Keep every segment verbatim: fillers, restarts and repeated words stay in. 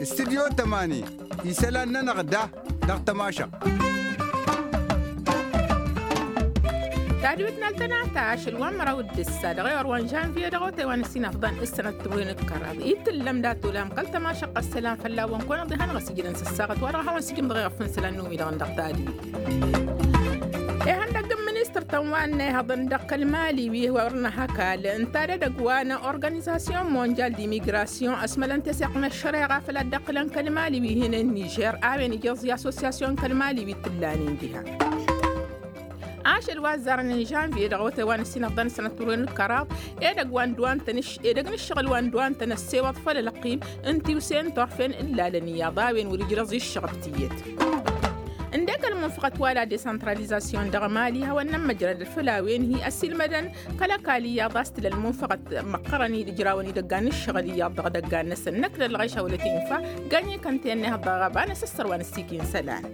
Istudyo tămani isălan-nănăɣ da dăɣ-tămašăɣt. Tadwit n-altănata ašăl wa n-măraw d-ǝssa dăɣ-ewăr wa n-žănviye dăɣ-otay wa n-ǝssin afḍăn ǝssănăt timǝrwen d-kăraḍ itǝllăm dat-olam kăl-tămašăɣt ăssălan fălla-wăn kăwăn-ăḍihanăɣ ăsijǝdăn s-ǝssaɣăt wa dăɣ-a hawăn-sǝjǝmdăɣ iɣăf n-isălan n-umi-dăɣ n-dăɣ tadwit. Ihăndăg n-ministăr-tăn wa n-ehăḍăn dăɣ-kăl-mali wi wăr n-ahăkal n-tadădăg wa n-organizasyon monjal dimigrasyon ăsmălăn teseɣt n-ăššăreɣa făll-ad-dd-ăqqǝlăn kăl-mali wi hinen nižer a-wen ija ăẓẓi assosyasyon kăl-mali wi t-ǝllanen diha. Ašăl wa ăzzarăn n-žănviye dăɣ-otay wa n-ǝssin ăḍḍan s-sănăt turwen d-kăraḍ edăgg wa n-dd-wa n-tăn-ǝšš edăgg n-ǝššăɣǝl wa n-dd-wa n-tăn-ăssewăḍ făll-ălqim n-tiwse n-turfen ǝllalăn iyyăḍ a-wen wăr-ijrăẓ iššăɣăb tiyyăt. Ǝndek ălmunfăɣăt wa la desantralizasyon dăɣ-mali hawăn-nămmăjrăd făll-a-wen hi-ăsilmădăn kăl-ăkall iyyăḍ a-s tǝla ălmunfăɣăt măqqărăn-dd ǝjrawăn idăggan n-ǝššăɣǝl iyyăḍ dăɣ-idăggan-năsăn năkk d-ălɣayš a wăla t-infa. Gănyi kăntăyăn n-ehăḍ dăɣ-ɣaba n-asǝssăr wa n-ăssikin isălan.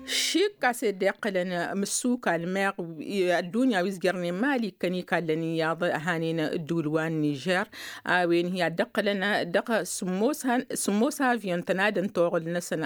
Šik a-s ed iqqălăn mǝssuka ălmeɣ ăddunya wi s-jărnen mali ikkăn ikallăn iyyăḍ hanen ǝddǝwǝl wa n-nižer a-wen hi-ad-dd-ǝqqǝlăn dăɣ-sǝmmos avyon tănadăn toɣǝl-năsăn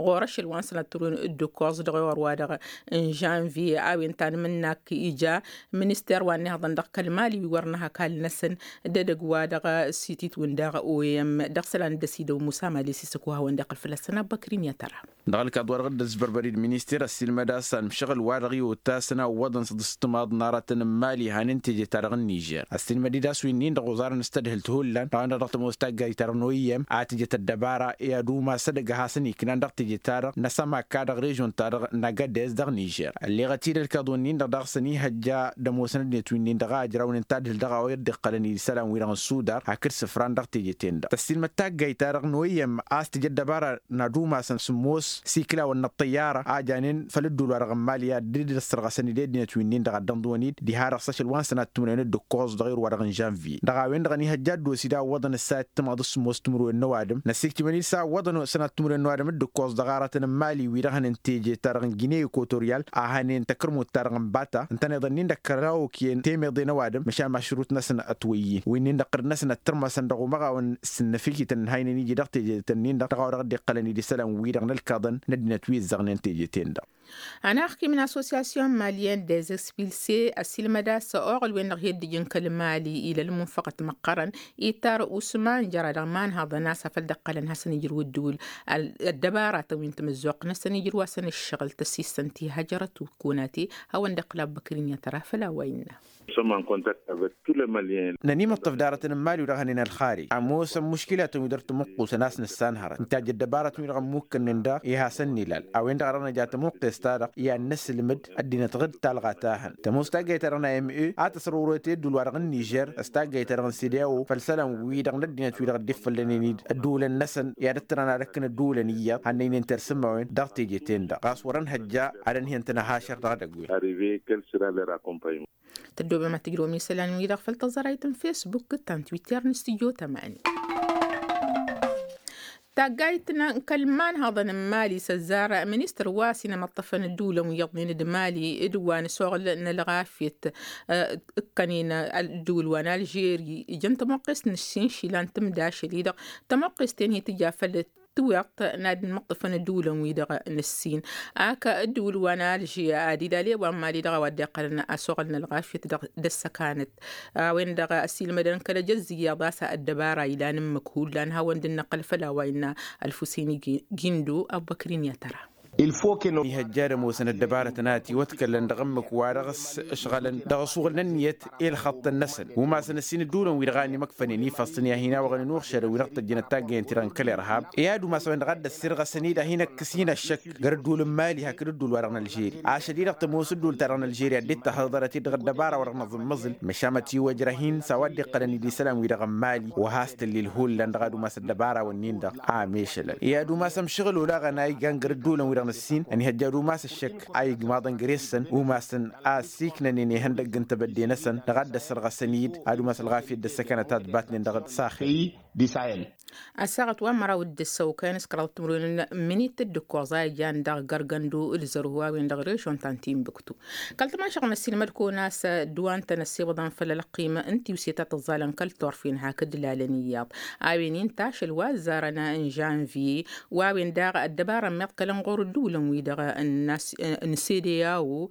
ɣur-ašăl wa n-sănăt turwen d-ǝkkoẓ dăɣ-ewăr wa-dăɣ n-žănviye a-wen tanmǝnnak ija minister wa n-ehăḍăn dăɣ-kăl-mali wi wăr n-ahăkal-năsăn d-edăgg wa dăɣ-sitit-wǝn daɣ oem dăɣ-isălan dd-ăsidăw musa mali s-isǝkwa hawăn-dd-iqqǝl făll-ăssănat băkrin i-ad-tăra. Dăɣ-ălkaḍ wa dăɣ-dd-ăsbărbărid minister ăssiilmăd a-s ălmšăɣǝl wa dăɣ-i ottasăn a ǝwwăḍăn s-dd-ǝstǝmaḍ n-aratăn n-mali hanen teje-ta-dăɣ n-nižer ăssiilmăd-dd a-s wi-nin-dăɣ oẓarăn s-tadhǝlt hullan dăɣ-a-wen-dăɣ dăɣ-tămoos taggayt-ta-dăɣ n-oyem a tǝjăt ăddăbara i-ad-umas edăgg a hasăn-iknan dăɣ-teje-ta-dăɣ n-asămakka dăɣ-režon-ta-dăɣ n-agades dăɣ-nižer ălleɣăt-dd ălkaḍ-wen-nin-dăɣ daɣ săn ihăjja d-ămoosăn ăddinăt wi-nin-dăɣ a ǝjrawnen tadhǝlt dăɣ-a-wa i-dd-iqqălăn idǝsălan-wi-dăɣ n-sudar hakd sǝfran dăɣ-teje-ten-dăɣ tăssiilmăd taggayt-ta-dăɣ n-oyem a-s tǝja ăddăbara n-ad-umasăn sǝmmos s-iklawăn n-ăṭṭăyyara a janen făll-ădduul-wa-dăɣ n-mali a dd-ăssărɣăsăn-dd i-ăddinăt wi-nin-dăɣ a dd-ănḍǝwăn-dd diha-dăɣ s-ašăl wa n-sănat timǝrwen d-ǝkkoẓ dăɣ-irwa-dăɣ n-žănviye dăɣ-a-wen-dăɣ ănihăjja ăddos-dd a ǝwwăḍăn ǝssa i-ăttămaḍ s-sǝmmos timǝrwen n-ăwadǝm năssiktǝmăn-dd s-a ǝwwăḍăn sănat timǝrwen n-ăwadǝm d-ǝkkoẓ dăɣ-aratăn n-mali wi-dăɣ hănen teje-ta-dăɣ n-gine ekutoryal a hănen takărmut-ta-dăɣ n-bata ǝntăneḍ-nin-dăɣ kăraw okǝyăn temeḍe n-ăwadǝm măšan mašrut-năsăn ătwăyyin wi-nin-dăɣ ɣǝrǝd-năsăn ăttărmasăn dăɣ-umăɣawăn s-ǝnnăfikităn n-haynen iji dăɣ-teje-tăn-nin-dăɣ dăɣ-a-wa dăɣ-dd-iqqălăn idǝsălan-wi-dăɣ n-ălkaḍăn n-ăddinăt wi ǝzzăɣnen teje-ten-dăɣ. Ănaxkim n-associasyon malyen dezexpilse ăsilmăd a-s oɣǝl-wen-dăɣ hi-ăddijǝn kăl-mali ila ălmunfăɣăt măqqărăn ittar usman jăra dăɣ-imanhăḍăn a-s afăl dd-iqqălăn hasăn-ijrǝw ăddǝwǝl ăddăbaratăn wi n-tamǝzzuɣt-năsăn ijrǝw-asăn ǝššăɣǝl tăsisăn ti hajărăt kunate hawăn-dd-iqqǝl abbăkrin i-ad-tăra făll-a-wa innă. Nănimǝṭṭǝf d-aratăn n-imali wi-dăɣ hănen ălxarij ămoosăn muškilatăn wi dăr-tamǝqqusăn a-s nǝssanhărăt nǝtajj ăddăbaratăn wi-dăɣ ămmukkănnen daɣ i-hasăn-nilal a-wen-dăɣ a dăɣ-năja tamǝqqes-ta-dăɣ i-ad-nǝsǝlmǝd ăddinăt ɣǝd talɣa ta hăn tămoos taggayt-ta-dăɣ n-a m e a tăsrăwrăwăt i-ădduul-wa-dăɣ n-nižer s-taggayt-ta-dăɣ n-sede a o făll-isălan-wi-dăɣ n-ăddinăt wi-dăɣ dd-iffăllănen-dd ădduulăn-năsăn i-ad-dd-tărăn ad-ăkkǝn ădduulăn iyyăḍ hannăynen tersǝmmawen dăɣ-teje-ten-dăɣ ɣas wăr-ănhăjja ad-ănhǝyăn-tăn ăhašăr dăɣ-edăgg-wen. Tăddobem ad-tǝjrǝwăm isălan-wi-dăɣ făll-tăẓărayt n-fesbuk d-ta n-twitter n-studyo tămani. Taggayt n-kăl-imanhăḍăn n-mali s-ăzzar ministăr wa s-inămăṭṭăfăn ădduulăn wi iyyăḍnen d-mali d-wa n-asuɣǝl n-ălɣafyăt ǝkkănen ădduul wa n-alžeri ijăn tămoqqest n-ǝššinšila n-tǝmdašăl-i-dăɣ tămoqqest-en hi-tǝja făll-tiwǝḍt n-ad-inmăṭṭăfăn ădduulăn-wi-dăɣ n-ǝssin ak ădduul wa n-alžeri ad-ilale wa n-mali dăɣ-a-wa dd-iqqălăn asuɣǝl n-ălɣafyăt dăɣ-ăssăkanăt a-wen-dăɣ ăsiilmădăn kăl-ejăzz iyyăḍ a-s ăddăbara ilan ǝmmǝk hullan hawăn-dd-năqqăl făll-a-wa innă ălfusini gindo abbăkrin i-ad-tăra. Ihăjja ad-ămoosăn ăddăbarătăn a ătiwătkălăn dăɣ-ǝmmǝk wa dăɣ-s ǝšɣălăn dăɣ-asuɣǝl n-ǝnniyăt i-ălxăṭṭăn-năsăn umasăn ǝssin ădduulăn-wi-dăɣ a ănimăkfănen ifăẓ-tăn i-ad-hin-awăɣnen uɣšădăn wi dăɣ-tăjjănăt taggăyăn-ti-dăɣ n-kăl-irhab i-ad-umas a-wen-dăɣ a dd-ăssirɣăsăn-dd ad-hin-ăkkǝs-in ăššăk gar ădduul n-mali hakd ădduul-wa-dăɣ n-alžeri ašăl-i-dăɣ tămoos ădduul-ta-dăɣ n-alžeri a dd-ittăhhăḍărăt-dd dăɣ-ăddăbara wa dăɣ-năẓǝmmăẓǝl măšan mătiwăjrăh-in s-a-wa dd-iqqălăn-dd isălan-wi-dăɣ n-mali wa has-tǝllil hullan dăɣ-ad-umas ăddăbara-wǝnnin-dăɣ a mešălăn i-ad-umas ămšăɣǝl olaɣăn a igan gar ădduulăn-wi-dăɣ n-ǝssin ănihăjja ad-umas ăššăk a igmaḍăn găre-săn umasăn a ăssiiknănen ihăndăgg n-tebădde-năsăn dăɣ-ad-dd-ăssărɣăsăn-dd ad-umas ălɣafyăt d-ăssăkanăt a ătbatnen dăɣ-saxel. Disayel. Ăssaɣăt wa n-măraw d-ǝssăw kăyăn s-kăraḍ timǝrwen n-minit d-ǝkkoẓ a ijan dăɣ-gărgăndu d-zărhu a-wen dăɣ-režon ta n-tinbǝktu. Kăl-tămašăɣ n-ăssiilmăd kăwăn-as d-wa n-tăn-ăssiwăḍăn făll-ălqim n-tiwse ta tǝẓẓalăn kăl-turfen hakd lalăn iyyăḍ. A-wen inta ašăl wa ăzzarăn n-žănvye wa a-wen daɣ ăddăbara n-miḍ kăl-ănɣur d-ulăn-wi-dăɣ n-sede a-wo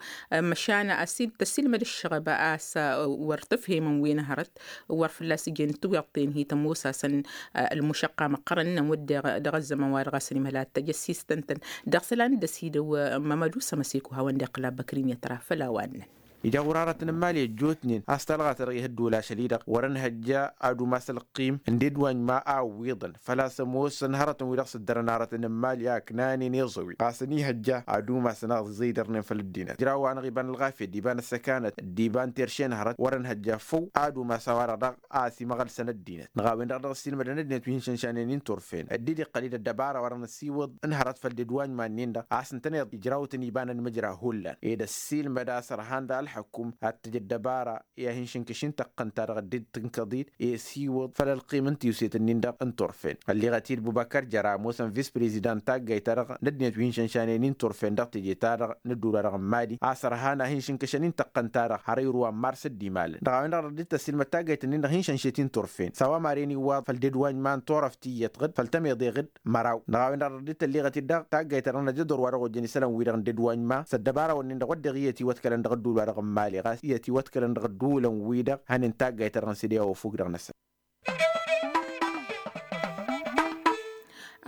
măšan tăssiilmăd ǝššăɣăb a-s wăr tǝfhemăn wi n-hărăt wăr fălla-s ǝjjen tiweḍten hi-tămoos-asăn. Ălmušăqqa măqqărăn-năn wădden dăɣ-ăzzăman wa dăɣ-asăn imhăl ad-tăjăssistăn-tăn dăɣ-isălan d-ăsidăw. Mămădu sămăseko hawăn-dd-iqqǝl abăkrin i-ătra făll-a-wa ǝnnăn. Ija ɣur-aratăn n-imali ăjjootnen a-s talɣa-ta-dăɣ ihăddol ašăl-i-dăɣ wăr-ănhăjja ad-umas ălqim n-dd wa n-ma a ǝwwiḍăn făl-a-s ămoosăn hărătăn-wi-dăɣ s-ǝddărăn aratăn n-imali a ǝknanen iẓăwi ɣas ănihăjja ad-umasăn a ăẓẓidărnen făll-ăddinăt ǝjraw-anăɣ iba n-ălɣafyăt d-iba n-ăssăkanăt d-iba n-terše n-hărăt wăr-ănhăjja făw ad-umas a-wa-dăɣ daɣ a ăsimăɣălsăn ăddinăt. Dăɣ-a-wen-dăɣ dăɣ-ăssiilmădăn ăddinăt wi hin-šănšanen i-turfen ăddiid iqqăl-dd ăddăbara wăren ăsiwǝḍ n-hărăt făll-dd wa n-iman-nin-dăɣ a-s ǝntăneḍ ijrawten iba n-ănmǝjra hullan ed ăssiilmăd a-s ărhan dăɣ-ălxăkum ad-tǝj ăddăbara i-ad-hin-šǝnkǝš i-tăqqăn-ta-dăɣ ăddiid tǝnkăḍ-dd i-ăsiwǝḍ făll-ălqim n-tiwset-nin-dăɣ n-turfen. Ălliɣăt-dd bubăkăr jăra ămoosăn vis-prezidant n-taggayt-ta-dăɣ n-ăddinăt wi hin-šănšanen i-turfen dăɣ-teje-ta-dăɣ n-ădduul-wa-dăɣ n-mali a-s ărhan ad-hin-šǝnkǝšăn i-tăqqăn-ta-dăɣ har irwa n-mars d-imalăn dăɣ-a-wen-dăɣ dăɣ-dd-tăssiilmăd taggayt-nin-dăɣ hin-šănšet i-turfen s-a-wa maren iwwaḍ făll-dd wa n-iman turăft iyyăt ɣǝd făll-tămeḍe ɣǝd măraw dăɣ-a-wen-dăɣ dăɣ-dd-tălliɣăt-dd dăɣ-taggayt-ta-dăɣ n-ajădor wa dăɣ-ojăn isălan-wi-dăɣ n-dd wa n-iman s-ăddăbara-wǝnnin-dăɣ wădden iyyăt iwătkălăn dăɣ-ădduul-wa-dăɣ n-mali ɣas iyyăt iwătkălăn dăɣ-ădduulăn-wi-dăɣ hănen taggayt-ta-dăɣ n-sede a ofuk dăɣ-năsăn.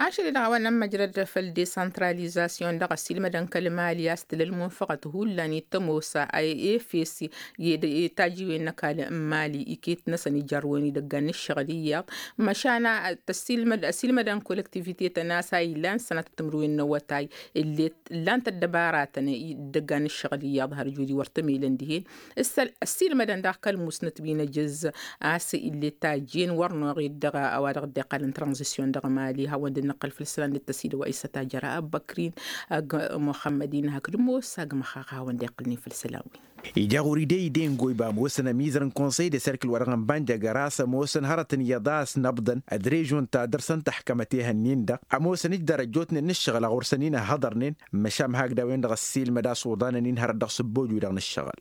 Ašăl-i-dăɣ a-wa n-ămmăjrăd făll-desăntralizasyon dăɣ-ăssiilmădăn kăl-mali a-s tǝla ălmunfăɣăt hullan i-tămoos a efes i-tajiwen n-ăkall n-mali iket-năsăn ijarrăwen idăggan n-ǝššăɣǝl iyyăḍ măšan ăssiilmădăn kolektivite-tăn a-s a ilan sănatăt timǝrwen n-awătay illet ǝllan-t ăddăbaratăn idăggan n-ǝššăɣǝl iyyăḍ har judi wăr tămilăn dihen. Ǝssilmădăn daɣ kăl-musnăt wi n-ejăzz a-s illet tajjen wăr noɣed dăɣ-a-wa dăɣ-dd-iqqălăn tranzisyon dăɣ-mali hawăn-dd-nǝqqǝl făll-isălan d-tăsidăw a isătajăra abăkrin ăgg muxămmădin hakd ămoos ăgg măxxax hawăn-dd-iqqǝlnen făll-isălan-wi. Ija ɣur-i de-i dengoy ba ămoosăn ămizăr n-konsăy de serkǝl wa dăɣ-nǝnbanja găra a-s ămoosăn hărătăn iyyăḍ a ăsnăbḍăn d-režon ta dăr-săn tăḥkămăt ehăn-in-dăɣ ămoosăn ǝjdar ăjjootnen n-ǝššăɣǝl a ɣur-săn-in ăhhăḍărnen. Măšan hakd a-wen-dăɣ ăssiilmăd a-s uḍanăn-in hărăt dăɣ-sǝbboj-wi-dăɣ n-ǝššăɣǝl.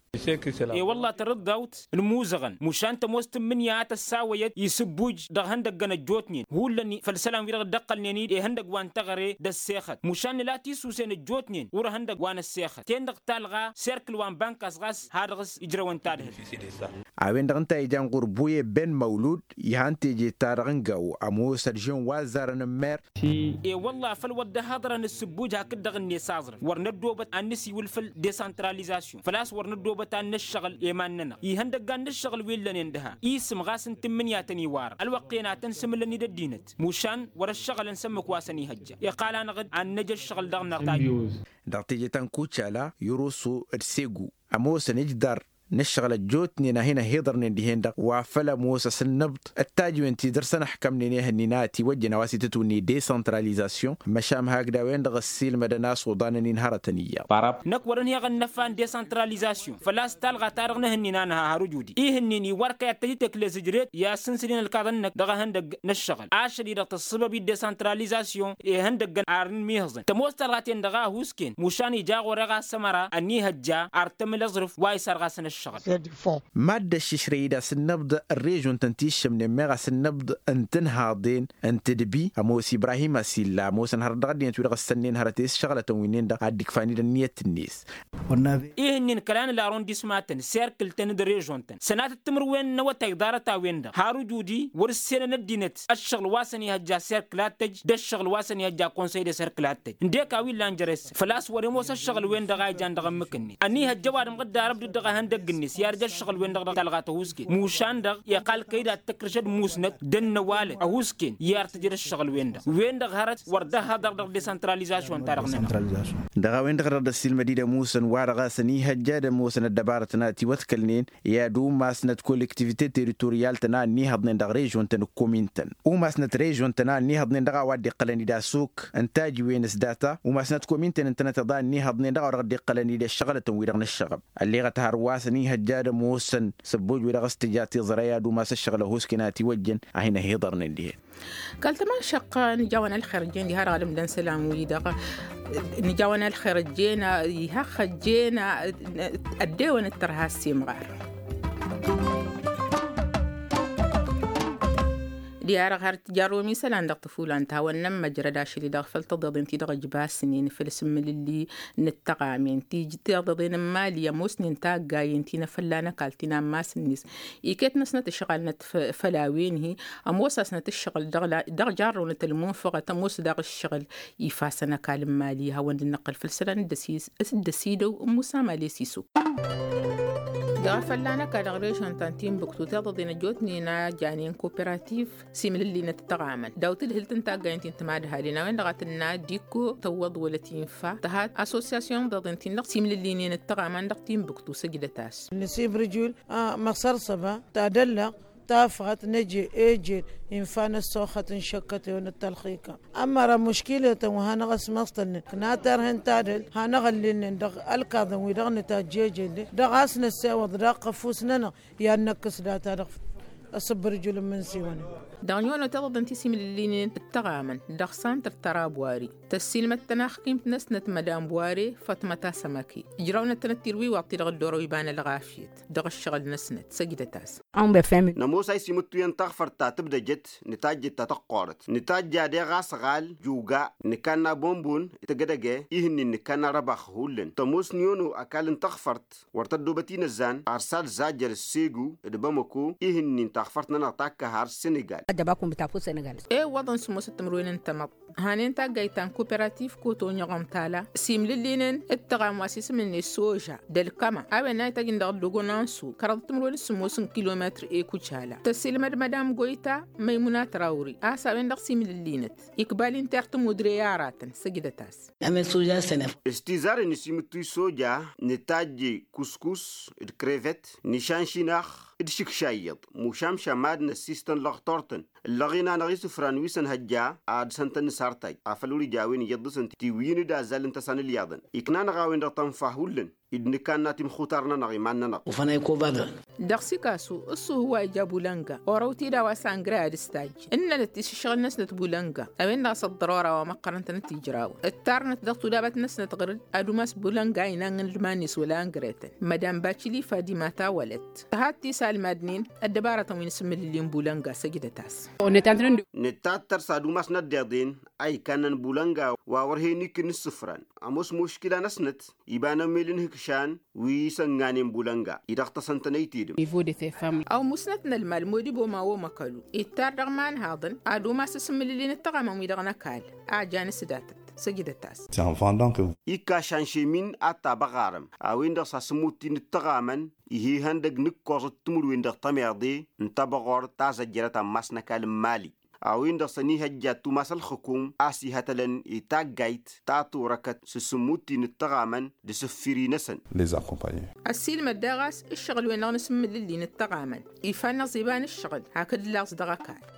E-wălla tărǝḍḍawt n-imuzăɣăn mušan tămoos tǝmmǝnǝya a tăssawăyăt isǝbbuj dăɣ-ihăndăggăn ăjjootnen hullan făll-isălan-wi-dăɣ dd-ăqqălnen-dd ihăndăgg wa n-teɣăre d-ăssexăt mušan nǝla tisusen ăjjootnen wăr-ihăndăgg wa n-ăssexăt ten-dăɣ talɣa serkǝl wa n-bankas ɣas ha dăɣ-s ǝjrăwăn tadhǝlt. A-wen-dăɣ ǝnta a ijan ɣur-buye ben măwlud ihan teje-ta-dăɣ n-gawo ămoos ăržen wa ăzzarăn n-mer. E-wălla făl wăr dd-ăhhăḍărăn ǝssǝbbuj hakd-dăɣ-net aẓrǝf wăr năddoobăt ad-nǝsiwǝl făll-desăntralizasyon făl-a-s wăr năddoobăt ad-năššăɣǝl i-iman-nănăɣ ihăndăggan n-ǝššăɣǝl wi ǝllănen dăha isǝm ɣas n-tǝmmǝnǝya tăn-iwarăn ălwăqq-en ad-tăn-sǝmǝlăn-dd ăddinăt mušan wăr-ăššăɣǝlăn s-ǝmmǝk wa săn-ihăjja iqqal-anăɣ-dd ad-năj ăššăɣǝl dăɣ-năɣ tajjăt. Dăɣ-teje ta n-kucala irusu d-segu ămoosăn ǝjdar n-ǝššăɣǝl ăjjootnen a hin-ăhhiḍărnen dihen-dăɣ wa făl ămoos asǝnnǝbḍ d-tajǝwen ti dăr-săn ăḥkămnen ehăn-in a ătiwăjjăn a-wa s-itǝtwǝnni desăntralizasyon măšan hakd a-wen-dăɣ ăssiilmădăn a-s uḍanăn-in hărătăn iyyăḍ. Năkk wăr-ănheɣ ănnăfa n-desăntralizasyon făl-a-s talɣa ta dăɣ-nǝhǝnnin a nǝha har ujudi ihǝnnin iwar kăy-ad-tăj-tǝkle zǝjret i-ad-sǝnsǝl-in ălkaḍăn-năk dăɣ-ehăndăgg n-ǝššăɣǝl ašăl-i-dăɣ tăssăbăb-i desăntralizasyon ihăndăggăn ar n-imihǝẓăn tămoos talɣa-ten-dăɣ a ăhuusken mušan ija ɣur-e ɣas ămăra ănihăjja ar tămǝl aẓrǝf wa isarɣasăn ăššăɣǝl. Mad-dd-ăššǝšrăy-dd asǝnnăbḍ ărrežon-tăn ti ǝššǝmnen meɣ asǝnnăbḍ n-tinhaḍen n-tǝdbi ămoos ibrahim asilla ămoosăn hărăt dăɣ-ăddinăt wi-dăɣ ǝssănnen hărăt i-s šăɣlătăn wi-nin-dăɣ ad-dd-ikfan-dd ănniyăt-net. Ihǝnnin kăla n-larondisma-tăn serkǝl-tăn d-režon-tăn sănatăt timǝrwen n-awătay ḍarăt-a-wen-dăɣ har ujudi wăr-ǝssenăn ăddinăt ăššăɣǝl wa săn ihăjja serkǝl ad-tăj d-ăššăɣǝl wa săn ihăjja konsăy de serkǝl ad-tăj ǝndek a-wa illan jere-săn făl-a-s wăr-imoos ăššăɣǝl-wen-dăɣ a ijan dăɣ-ǝmmǝk-net ănihăjja ăwadǝm dd-arăb dd-dăɣ-ehăndăgg-net i-ad-ǝj ăššăɣǝl-wen-dăɣ dăɣ-talɣa tăhuusket mušan-dăɣ iqqal kăy-dd ad-tǝkrǝš d-musnăt d-ănnăwalăt ăhuusken i-ad-tǝjăd ăššăɣǝl-wen-dăɣ wen-dăɣ hărăt wăr dd-ăhhăḍăr dăɣ-desăntralizasyon-ta-dăɣ-nănăɣ. Dăɣ-a-wen-dăɣ dăɣ-dd-ăssiilmăd-dd ămoosăn wa-dăɣ a-s ănihăjja d-ămoosăn ăddăbarătăn a tiwăḍkălnen i-ad-umasnăt kolektivite teritoryal-tăn a ănniihăḍnen dăɣ-režon-tăn d-komin-tăn umasnăt režon-tăn a ănniihăḍnen dăɣ-a-wa dd-iqqălăn-dd asuk n-tajǝwen s-data umasnăt komin-tăn ǝntănăteḍ a ănniihăḍnen dăɣ-a-wa dăɣ-dd-iqqălăn-dd ăššăɣǝlătăn-wi-dăɣ n-ǝššăɣăb. Ălleɣăt hărwa s-ănihăḍnen. n-ihăjja ad-ămoosăn săbboj-wi-dăɣ s-tǝja tiẓrăy ad-umas ǝššăɣǝl ăhusken a ătiwăjjăn a hin-ăhiḍărnen dihen. Kal-tămašăqqa nǝjawăn ălxer ǝjjen diha-dăɣ ad-ǝmdăn isălan-wi-dăɣ. Nǝjawăn ălxer ǝjjen iha ăxxăjjen ăddewăn d-tărha s-imɣar. Diha-dăɣ har tǝjarrǝwăm isălan dăɣ-tăfulan ta hawăn-nămmăjrăd ašăl-i-dăɣ făll-tăḍeḍen-ti-dăɣ ăjbasnen făll-asǝmmǝlǝlli n-ăttăɣamen ti tiḍeḍen n-imali ămoosnen taggayen ti n-afălla n-ăkall ti n-ammas-net. Iket-năsnăt ǝšɣalnăt făll-a-wen-hi ămoos-asnăt ǝššăɣǝl dăɣ-jarrăwnăt ălmunfăɣăt ămoos daɣ ǝššăɣǝl ifasăn ăkall n-imali hawăn-dd-nǝqqǝl făll-isălan. Dd-ăsidăw n-musa mali s-isuk. Dăɣ-afălla n-ăkall dăɣ-režon ta n-tinbuktu tiḍăḍen ăjjootnen a janen koperativ simlǝllinăt ăttăɣamăn daw-tǝdhǝlt n-taggayen ti n-timadhalin a-wen-dăɣ a tǝnna dikko tăwwăḍ wăla tinfa tăhat asosiyasyon iḍeḍen-tin-dăɣ simlǝllinen ăttăɣaman dăɣ-tinbuktu săjdăt-as. Nǝsib rǝjul măsărsăba tadăllăɣ tafɣăt năje ejel infa n-ăssoxăt n-šăkkăt-ewăn d-tălxikăm. Ămmăra muškiletăn wa hanăɣ-ăsmăstălnen kănaterhen tadălt hanăɣ-ăllilnen dăɣ-ălkaḍăn-wi-dăɣ nǝtajj ejel-dd dăɣ-a-s năssewăḍ dăɣ-kăfus-nănăɣ i-ad-năkkǝs data-dăɣ. Asǝbbărjul n-imǝnsiwăn. Dăɣ-nihăno tiḍăḍen ti simlǝllinen d-tăɣamăn dăɣ-santăr tăra bwari tăssiilmăd-tăn axkimt-năsnăt mădam bware fătmăt asămăke ǝjrăwnăt-tănăt tilwiwaḍt-i-dăɣ dd-orăw iba n-ălɣafyăt dăɣ-ǝššăɣǝl-năsnăt săjdăt-as. Nămoos a isimǝttu i-ăntaɣfărt ta tǝbdăjăt nǝtajjăt ta tăqqoorăt nǝtajja deɣ asăɣal juga nǝkanna bombon tăgg-edăgge ihǝnnin nǝkanna răbax hullan tămoos n-iono ăkall n-taɣfărt wăr tăddoobăt inăzzan arsal zajjăr s-segu d-bamăko ihǝnnin taɣfărt-nănăɣ takkăhar s-senegal. Ewăḍăn s-ămoosăt timǝrwen n-tamăḍt hanen taggayt ta n-koperativ koto n-iɣăm tala simlǝllinen d-tăɣam wa s-isǝm-net soža d-ălkăma a-wen a itajjăn dăɣ-ăllogon ansu kăraḍăt timǝrwen s-sǝmmos n-kilometr ekucala tăsilmăd mădam goyta măymuna trawri a-s a-wen-dăɣ simlǝllinăt ikbal-in terr tămudre i-aratăn săjdăt-as. S-tizaren s-imǝttuy soja nǝtajje kuskus d-krevet nǝšanšinax d-išǝkša iyyăḍ mušamša mad-năssistăn lăɣtortăn ǝllăɣen-anăɣ isǝfran wi s-ănhăjja ad-săn-tăn-nǝsartaj afăl wăr-ija a-wen iyyăḍ dăɣ-săn tiwǝyǝn d-azzal n-tăsa n-ǝlyaḍăn ikna-năɣ a-wen-dăɣ tănfa hullan d-nǝkanna timxutar-nănăɣ iman-nănăɣ. Ufănay kobadăn. Dăɣ-sikasu ǝṣṣuhu wa ija bulănga orăw-t-dd a-wa s-angre ad-ǝstajj ǝnnănăt tisǝššăɣǝl-năsnăt bulănga a-wen-dăɣ a-s ăḍḍărora wa măqqărăn-tănăt ijrawăn ǝttarnăt dăɣ-tudabăt-năsnăt ɣǝr-dd ad-umas bulănga inann n-ilman-net wăla angre-tăn mădam bacili fadima tawălăt tăhat tisalmadnen ăddăbarătăn wi n-asǝmmǝlǝlli n-bulănga săjdăt-as. Nǝtattăr s-ad-umas n-ăddiḍen a ikannăn bulănga wa wăr hen-ikǝn ǝssǝfran ămoos muškila-năsnăt iba n-ămmel n-ihǝkšan wi s-ănganen bulănga-i-dăɣ tăsăn-tăn ăytedăm. Ăwmusnăt n-ălmal modibo ma omăkălu ittar dăɣ-imanhaḍăn ad-umas asǝmmǝlǝlli n-ăttăɣamăn-wi-dăɣ n-ăkall a jan s-datăt săjdăt-as. Ikka šanšemin ad-tabăɣarăm a-wen-dăɣ s-asǝmmut-in ǝttăɣamăn ih'-ihăndăg n-ǝkkoẓăt timǝrwen dăɣ-tămeḍe n-tabăɣort ta zăjjărăt ammas n-ăkall n-mali a-wen-dăɣ s-ănihăjja tumas ălxǝkum a-s ihătălăn i-taggayt ta turăkăt s-asǝmmut-in ǝttăɣamăn d-asǝffiri-năsăn. Ăssiilmăd daɣ a-s ǝššăɣǝl-wen-dăɣ n-asǝmmǝlǝlli n-ǝttăɣamăn ifannăẓ iba n-ǝššăɣǝl hakd laẓ dăɣ-ăkall.